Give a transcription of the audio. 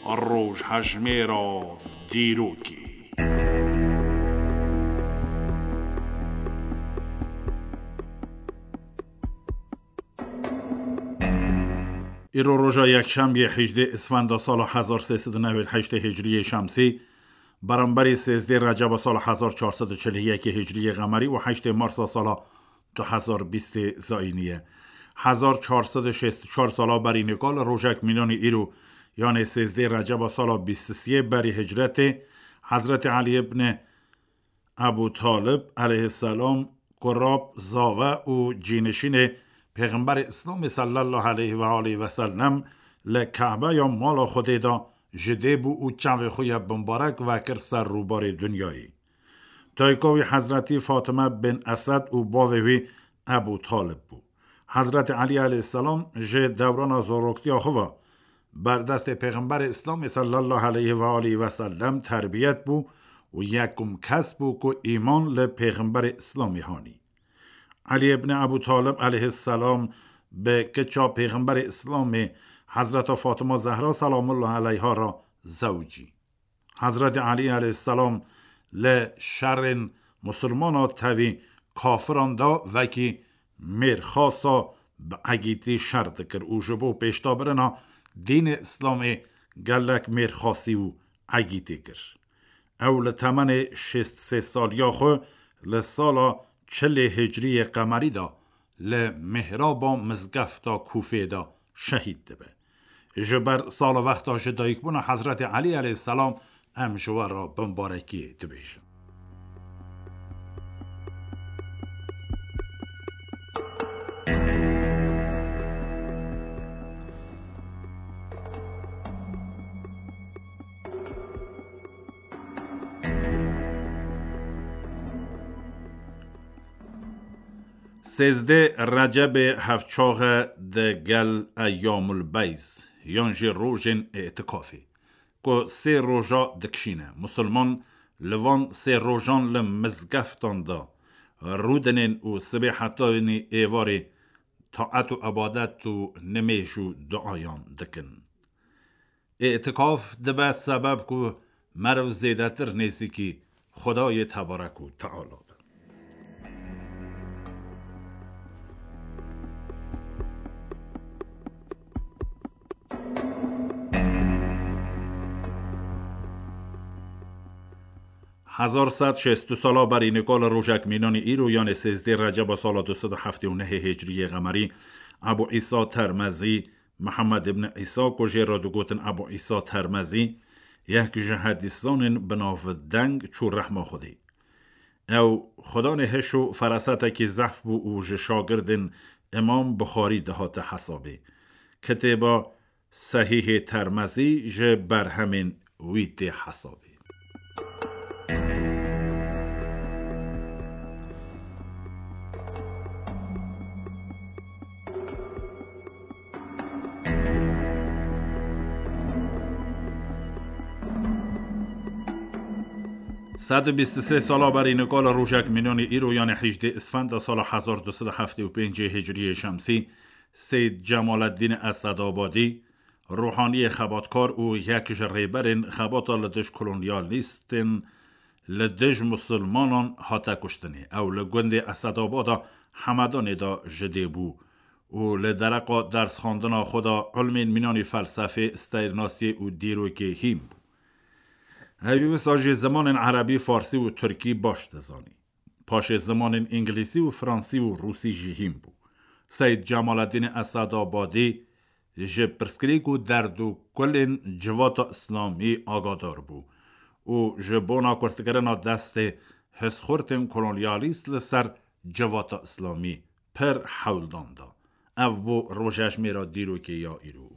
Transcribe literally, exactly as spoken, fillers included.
Rojhejmêra dîrokê. Îro roja yekşemiyê hejdê Isfenda sala hezar sê sed û newêd heştê Hicriyê Şemsî, beramberî sêzdê Receba sala hezar çar sed û çil û yekê Hicriyê Qemerî û heştê Marsa sala du hezar bîstê Zayînî ye. Hezar çar sed û şêst û çar sala berî nika li rojek mînanî îro, yanê sêzdê Receba sala bîst û siyê berî hicretê, Hezretî Elî ibn Ebû Talib aleyhisselam, kurab, zave û cînişînê Pêxemberê Îslamê sallallahu aleyhi ve aleyhi ve sellem li Kabeya mala Xwedê de ji dê bû û çavê xwe ye bimbarek vekir ser rûbarê dinyayê. Dayika wî Hezretî Fatime bin Esed û bavê wî Ebû Talib bû. Hezretî Elî aleyhisselam ji dewrana zaroktiya xwe ve berdestê Pêxemberê Îslamê sallallahu aleyhi ve aleyhi ve sellem terbiyet bû û yekum kes bû ku îman li Pêxemberê Îslamê hanî. Elî ibn Ebû Talib aleyhisselam bi kiça Pêxemberê Îslamê Hezreta Fatima Zehra selamullah aleyha re zewicî. Hezretî Elî aleyhisselam li şerên musulmana tevî kafiran de wekî mêrxasa bi egîtî şer dikir û ji bo pêşdabirina dînê Îslamê gelek mêrxasî û egîtî kir. Ew li temenê şêst sê saliya xwe li sala çilê Hicriyê Qemerî de li mihraba mizgefta Kûfê de şehîd dibe. Ji ber sala wexta ji dayikbûna Hezretê Elî aleyhisselam em ji we re bimbarekiyê dibêjin. Sêzdê Recebê hevçax e digel Eyyamul Beys, yan jî rojên îtikafê, ku sê roja dikişîne. Musulman li van sê rojan li mizgeftan de rûdinên û sibê hetanî êvarê taet û ebadet û nimêj û duayan dikin. Îtikaf dibe sebeb ku meriv zêdetir nêzîkî Xwedayê tebarek û teala be. Hezar sed şêst û sala berî nika li rojek mînanî îro, yanê sêzdê Receba sala du sed û heftê û nehê Hicriyê Qemerî, Ebû Îsa Termezî, Mihemed ibn Îsa, ku jê re digotin Ebû Îsa Termezî, yek ji hedîszanên bi navdeng çû rehma Xwedê. Ew xwedanê hiş û ferasetekî zehf bû û ji şagirdên Îmam Buxarî dihate hesabê. Kitêba Sehîhê Termezî ji berhemên wî tê hesabê. Sed û bîst û sê sala berî nika li rojek mînanî îro, yanê hejdê Îsfenda sala hezar du sed û heftê û pêncê Hicriyê Şemsî, Seyd Cemaleddîn Esedabadî, ruhaniyê xebatkar û yek ji rêberên xebata li dij kolonyalîstên li dij musulmanan hate kuştinê. Ew li gundê Esedabada Hemedanê de ji dê bû û li dereqa dersxwendina xwe de ilmên mînanî felsefê, stêrnasiyê û dîrokê hîn bû. Ew wisa jî zimanên erebî, farsî û tirkî baş dizanî. Paşê zimanên îngilîzî û fransî û rûsî jî hîn bû. Seyd Cemaleddîn Esedabadî ji pirsgirêk û derd û kulên civata îslamî agadar bû û ji bona kurtkirina destê hizxurtên kolonyalîst li ser civata îslamî pir hewldan da. Ev bû rojejmêra dîrokê ya îro.